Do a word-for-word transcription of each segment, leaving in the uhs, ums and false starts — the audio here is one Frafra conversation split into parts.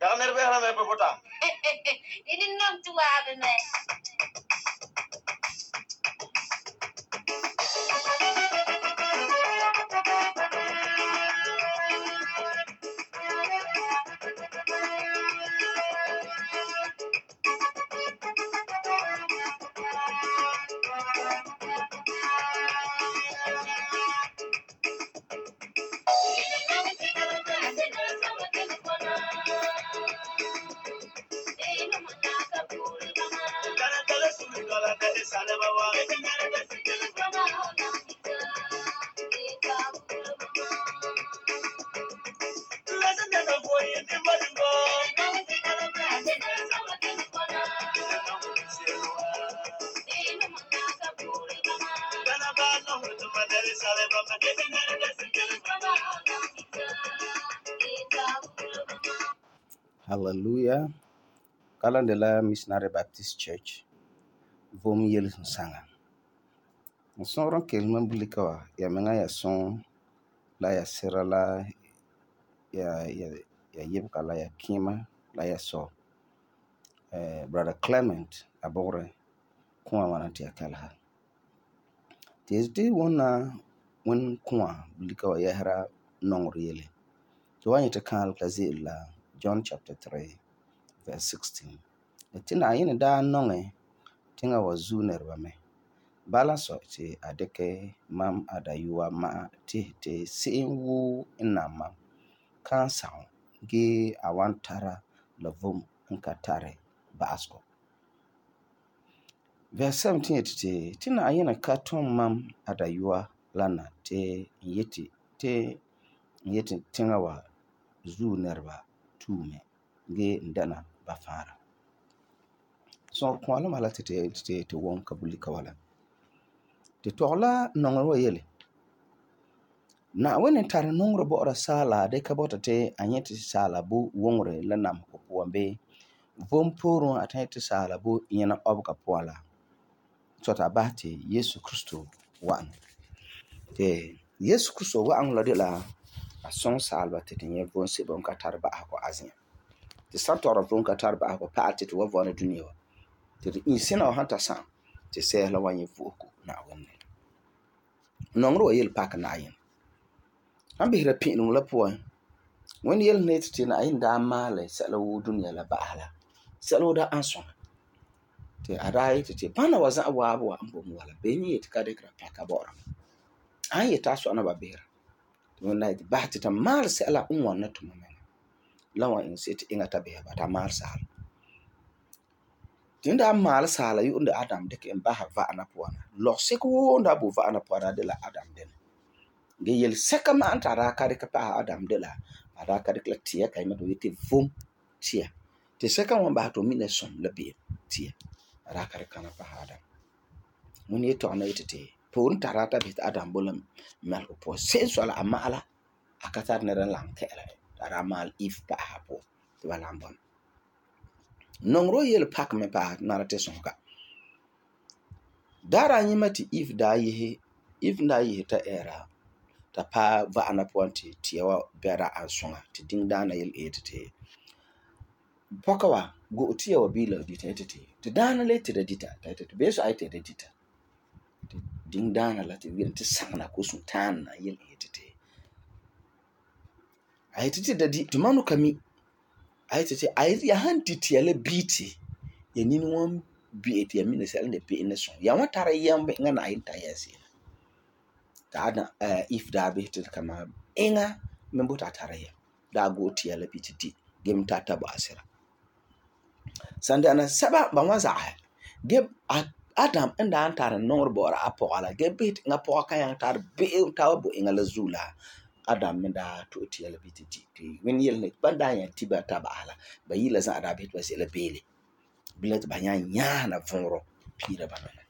Ya nerve hala me popota. Ini nom tu abe me. Hallelujah. Kalandela Missionary Baptist Church. Vom yel sanga. Son ron kelman bulika wa ya menga ya son la ya sera la ya ya ya yebka la ya kima la ya so. Eh brother Clement abore kuma wana ti akalha. Tisdi wona won kuma bulika wa yahra nongr yele. To wani ta kan la John chapter three verse sixteen. Tina yin da nonge tinga wa zu nerba me. Bala so ti adeke mam adayuwa ma ti ti sin wu ina mam kan sao ge awantara la vom nka tare baasko. Verse seventeen ti tina yin ka ton mam adayuwa lana ti yeti ti yeti tinga wa zu nerba tume ge ndana bafara. So kwala mala ti ti ti won kabulika wala. Ti tola nongro wa yele. Na wene tar nongro bo ora sala de kabota te anyeti sala bu wongre la nam ko puambe. Vom poro atati sala bu yana obka poala. So ta bahti Yesu Kristo wan. Te Yesu Kristo wan la de la a son salba te tinye von se bon ka tar ba ko azin. Ti santora von ka tar ba ko paati to wa vona duniya. Ti insina wa hanta san ti se la wanye fuku na wonne. Nongro wa yel pak na yin. An bihira pinu la puan. When yel net ti na yin da male sala wu duniya la baala. Sala da anson. Ti arai ti ti bana wa za wa wa mbom wala benyi ti ka de kra paka bora. An yeta so na ba bihira. Ti wona ti bahti ta mal sala unwa na tuma men. Lawa in sit ingata biha ba ta mal sala. Tinda mal sala yu unda Adam deke en baha va ana puana. Lo seko nda bu va ana puana de la Adam den. Ge yel seka ma anta ra ka de ka pa Adam de la. Ara ka de la tia ka ima do yete vom tia. Te seka wan ba to mine som la be tia. Ara ka de kana pa Adam. Mun yeto ana yete te. Po nta ra ta bit Adam bolam mal ko po senso ala amala akata ne ran lang kela. Ara mal if pa ha po. Te wala mbon. Nongro yel pak me pa nara te sonka. Dara nyima ti if da yehe, if da yehe ta era, ta pa va ana puanti tiyawa bera ansonga, ti ding dana yel etete. Pokawa, go tiyawa bila dita etete. Ti dana le ti da dita, ta etete. Beso aite da dita. Ti ding dana la ti wila ti sangna kusun tana yel etete. Aitete da di, ti manu kami, aitete, aitete ya hanti tiyale biti, ya nini wan biti ya mine sel ne biti ne son. Ya wan tara yambe nga na inta yasi. Ta adna uh, if da biti kama inga membo ta tara ya. Da go tiyale biti di, gem tata ba asira. Sande ana saba ba wan za'a. Gem Adam enda antara nongro bora apo ala. Gem biti nga po kaya tar biti tawa bo inga la zula. Adam menda to tiyale biti di. When yel ne banda ya tiba taba ala. Ba yila za ada biti ba sila bele. Bilet banya nyana vonro pira banana.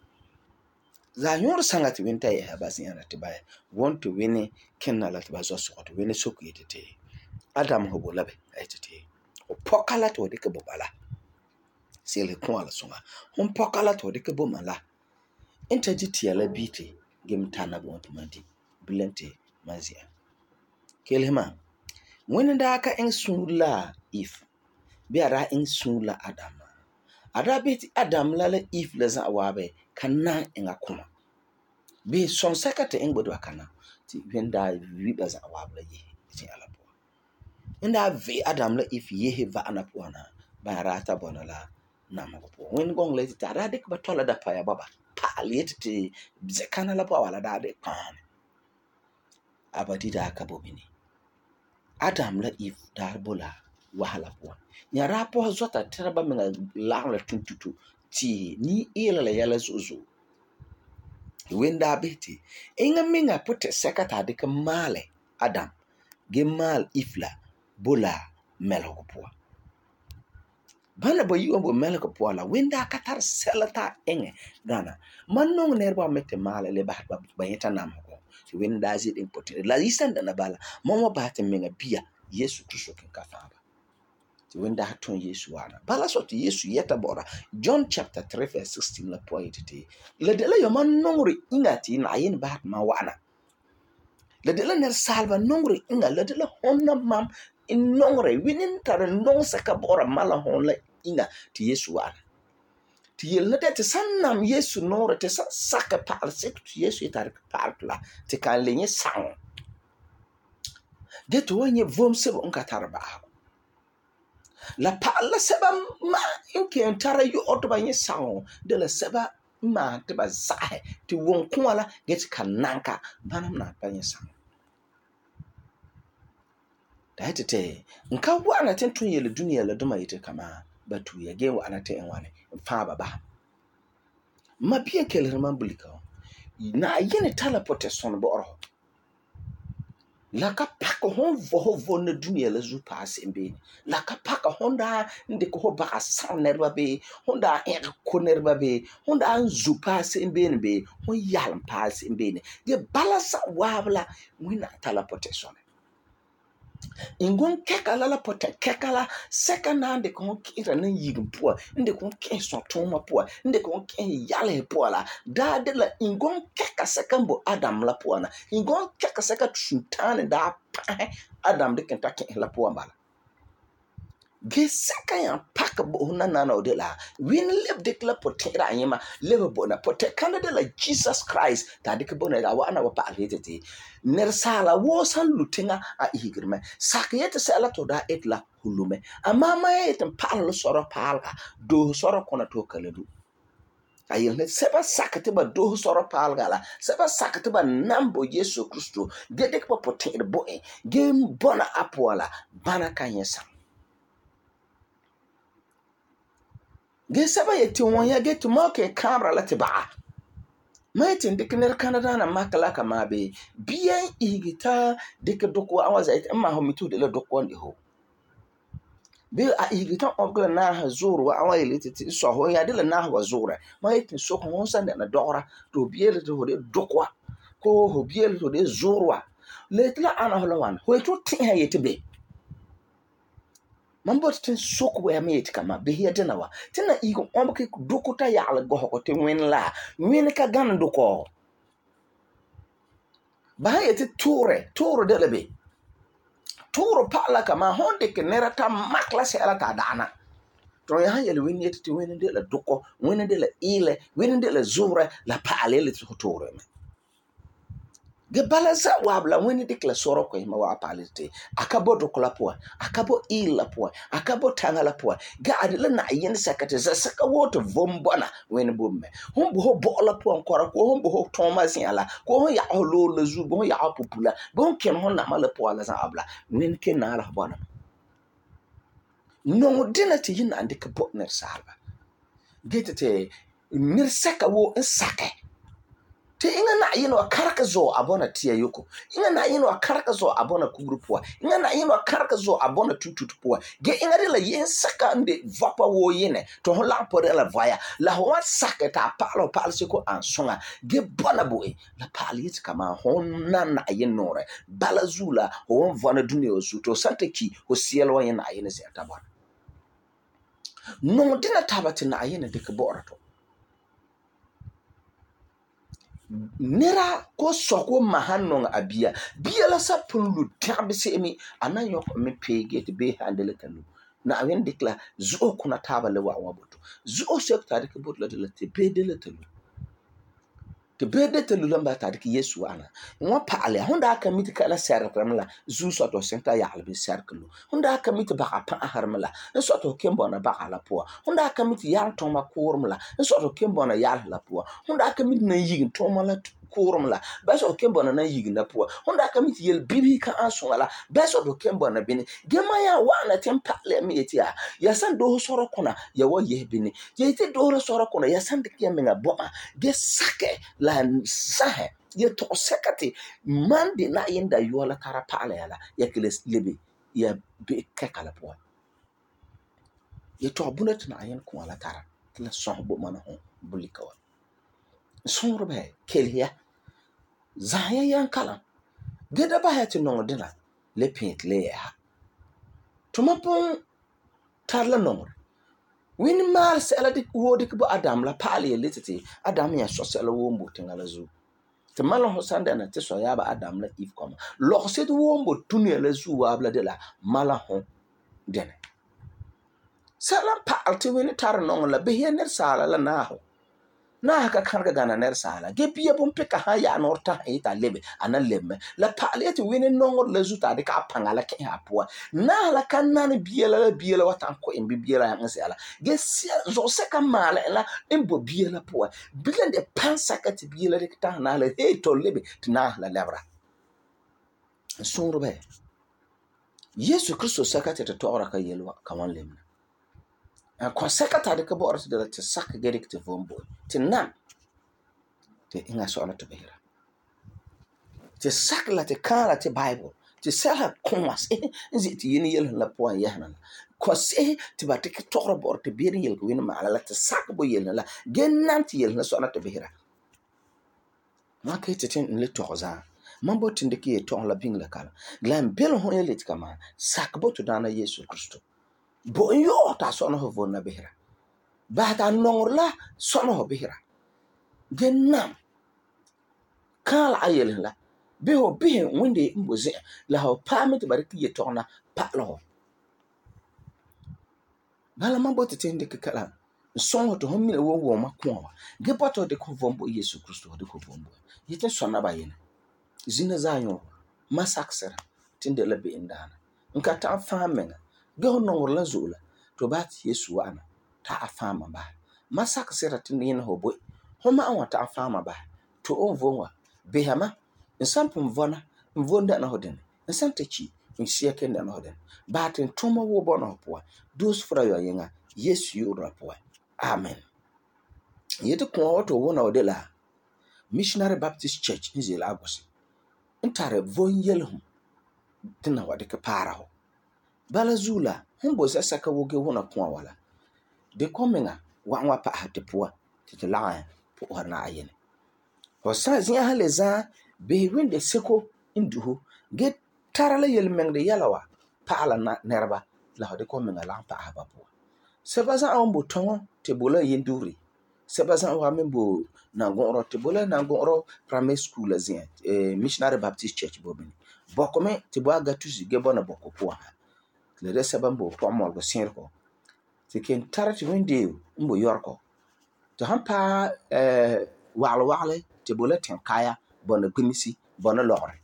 Za nyor sangati winta ya basi yana tibaya. Want to win kenna la tiba zo so to win soku yetete. Adam hobo labe aytete. O pokala to de ke bobala. Sele ko ala songa. Hon pokala to de ke bomala. Enta jiti la biti gem tana go to mandi. Bilente mazia. Kelema. When da ka en sunla if be a daa iŋɛ suunre la Adam. A daa beheti Adam la la Eve la za'a waabe ka nan eŋa kuma. Be sõnsɛka te eŋɛ bo ba kana ti wen daa vi ba za'a waabe la yehe zi'an la puan. En daa vi Adam la Eve yehe va'ana puan na ba daa ta bɔna la namegɔ puan. Wen gɔŋɔ la ti a daa dikɛ ba tɔla dapaya bɔba pa'alɛ yeti ti zɛkana la puan wala daa de kpaam. Abadi daa ka bo bini. Adam la Eve daa bo la wahala puan. Ya daa pɔsɛ zɔta tɛra ba meŋa lagom la tuntuto ti ni eela la yɛla zo'e zo'e. Wen daa beheti eŋa meŋa potɛsɛka ta dikɛ maalɛ Adam ge maal Eve la bo la mɛlesegɔ puan. Bana ba yi'an bo mɛlesegɔ puan la wen daa ka tara sɛla ta eŋɛ gana. Man nɔŋɛ nɛreba me te maalɛ le ba ba nyɛta namesegɔ. Ti wen daa zi din potɛra. La yisan dana bala. Man wa ba te meŋa bia Yesu Kristo ken ka faaba. Ti wen daa tun Yesu wana. Bala so ti Yesu yɛta bɔra John chapter three verse sixteen la puan yeti la de la yama nɔŋere inga ti Na'ayinɛ ba ma wa'ana. La de la nɛresaaliba nɔŋere inga la de la hon na mam in nɔŋere winin tare nɔŋsɛka bɔra mala hon la inga ti Yesu wa'ana. Ti yel na de ti san nam Yesu nɔŋere ti san saka pa'al sek ti Yesu yetare pa'al la ti kan le nyɛ saŋɔ. De to wa nyɛ vom sebo n ka tare ba'ago. La pa'al la sɛba ma in ken tara yo'o to ba nyɛ saŋɔ de la sɛba ma te ba zaɛ ti won kuwa la ge ti kan nanka banam na pa nyɛ saŋɔ. Da yeti te nka wa'ana tin tun yele dunia la duma yete kama ba tuya ge wa'ana te en wane fa ba ba. Ma bien kelere man bulika. Na yene tala pote son bɔ'ɔrɔ. La ka paka hon vo vo na dunia la zu paase mbeni. La ka paka hon da ndeke ho baka san nerba be, hon da en ko nerba be, hon da zu paase mbeni be, hon yalm paase mbeni. Ge balasa wabla wina tala pote son. Ingon kekala la pote kekala sekana de kon kira nan yigin pua inde kon ken son toma pua inde kon ken yale pua la da de la ingon keka sekambo Adam la pua na ingon keka seka sultan da pa Adam de kenta ken la pua bala ge seka yan pak bo na na no de la win leb de la pote ra yema leb bo na pote kana de la Jesus Christ ta de ke bo na da wa na wa pa retete ner sala wo san lutenga a ihigirme sakiyete sala to da etla hulume ama ma etem pal soro palga do soro kona to kaledu ayel ne seba sakate ba do soro palga la seba sakate ba nambo Yesu Kristo gede ko potere bo e gem bona apola bana kanyesa ge seba yeti wonya ge to mo ke camera la te ba Maitin dik ner Canada na makala kama be bien igita dik doko awaza it ma ho mitu de la doko ndi ho be a igita ogla na ha zuru awa ile titi so ho ya de la na ha zuru maitin so ho san na dora to biele to de doko ko ho biele to de zuru letla ana ho lawan ho to tin ha yete be Mambo tin sok we me it kama be here de na wa tina igo omke doko ta ya la go ko te wen la wen ka gan doko ba yete tore tore de lebe tore pa la kama honde ke nerata makla se ala ta dana to ya yele wen yete te wen de la doko wen de la ile wen de la zura la pa ale le tore me ge balaza wabla wen de kla soro ko ma wa palite akabo doko la po akabo ile la po akabo tanga la po ga adela na yen sakate za saka woto vombona wen bomme hon bo bo la po ankora ko hon bo Thomas yala ko hon ya holo la zu bo ya popula bon ken hon na mala po la za abla wen ken na la bona no dinati yin ande ke bo ner salba getete mir saka wo saka te inga na yino akaraka zo abona tia yoko inga na yino akaraka zo abona kugrupoa inga na yino akaraka zo abona tututupoa ge inga de la yen saka nde vapa wo yene to ho la pore la vaya la ho saka ta palo palo siko ansonga ge bona boy la pali it kama hon na na yinore balazula ho vana dunio suto sante ki ho sielo yen na yene se tabana no dina tabati na yene de ke borato nera ko soko mahannon abia bia la sa punlu tabe se mi anayo me pege te be handle kanu na wen dikla zuo kuna taaba le wa wa boto zuo sek ta dik bot la de la te bede la telu te bede telu lamba ta dik Yesu ana wa paale honda ka mit ka la serkram la zu so to senta ya albi serklu honda ka mit ba pa harmla so to kembo na ba ala po honda ka mit yan to ma kurmla so to kembo na ya la po honda ka mit na yigin to ma la kurmla ba so kembo na yigin na po honda ka mit yel bibi ka ansungala ba so to kembo na bini gema ya wa na tempa le mi etia ya san do soro kuna ya wo ye bini ye ti do soro kuna ya san de kemenga boma ge sake la sahe ye to sekati man de na yinda yola tara pala yala ya kiles lebe ya be kekala po ye to bunat na ayen ko ala tara la son bo mana ho bulika wa son be kelya zaya yan kala geda ba ha ti no dina le pint le ya to mapon tarla no win mal sela dik wodi ko adam la pala ye lititi adam ya so sela wo mbo tingala zu te malon ho sanda na te so ya ba adam la if koma lo se to wo mbo tunu la zu wa bla de la mala ho dene sala pa te win tar no la be ye ner sala la na ho na ka kan ga gana ner sala ge biya bom pe ka ha ya no ta e ta lebe ana lemme la pale te win no la zu ta de ka pangala ke ha po na la kan na ne biya la biya la watan ko en biya la yan sala ge zo se ka mala la en bo biya la po bilen de pansa ka te biya la de ta na la he to lebe na la labra suru be Yesu Kristo saka te to ora ka yelwa ka wan lemna ko saka ta de ka bo ora te te saka ge dik te vombo te na te inga so na to behira te saka la te kala te bible te sala komas nzi te yini yel la po ya na ko se te ba te to ora bo te bi yel ko wina ma la te saka bo yel la ge nan te yel na so na to behira ma ke te tin le to za mambo tinde ki to la bing la kala glam bel ho yel te kama saka bo to dana Yesu Kristo bo yo ta so no ho na behira ba ta nongor la so no ho behira genam kala ayel la be ho be winde mboze la ho pamit bariki ye tona pa lo bala mambo te tinde ki kala so to ho mi wo wo ma ko ge poto de ko vombo Yesu Kristo de ko vombo yete so na ba yene zina zanyo masaksera tinde la be indana nka ta famenga ge ho nongor la zula to bat Yesu ana ta afama ba masaksera tinde yin ho boy homa an wata afama ba to on vonwa behama nsampum vona mvonda na hoden nsantachi nsia kenda na hoden batin tuma wo bona po dos fra yo yenga Yesu yura po amen yete ko auto wona odela Missionary Baptist Church in Lagos ntare von yelhum tina wade ka para ho bala zula humbo saka woge wona ko wala de komenga wa wa pa hate po te la po na ayene ho sa zia haleza be winde seko induho get tarala yel mengde yalawa pa ala na nerba la ho de komenga la pa haba po sebaza ambo ton te bola yenduri sebaza wa membo na goro te bola na goro primary school azia eh, Missionary Baptist Church bobini bokome te bo aga tuzi ge bona bokopo ha le resa bambo po mo go sirko te ken tarati winde mbo yorko to hampa eh wale wale te bola ten kaya bona gumisi bona lore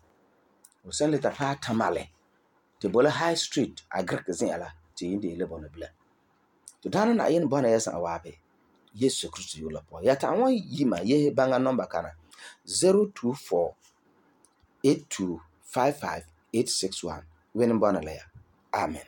o sen le ta pa tamale te bola high street agrek zin ala te yinde le bona bla to dana na yin bona yasa awabe Yesu Kristo yola po ya ta won yima ye banga number kana zero two four eight two five five eight six one wen bona la ya amen.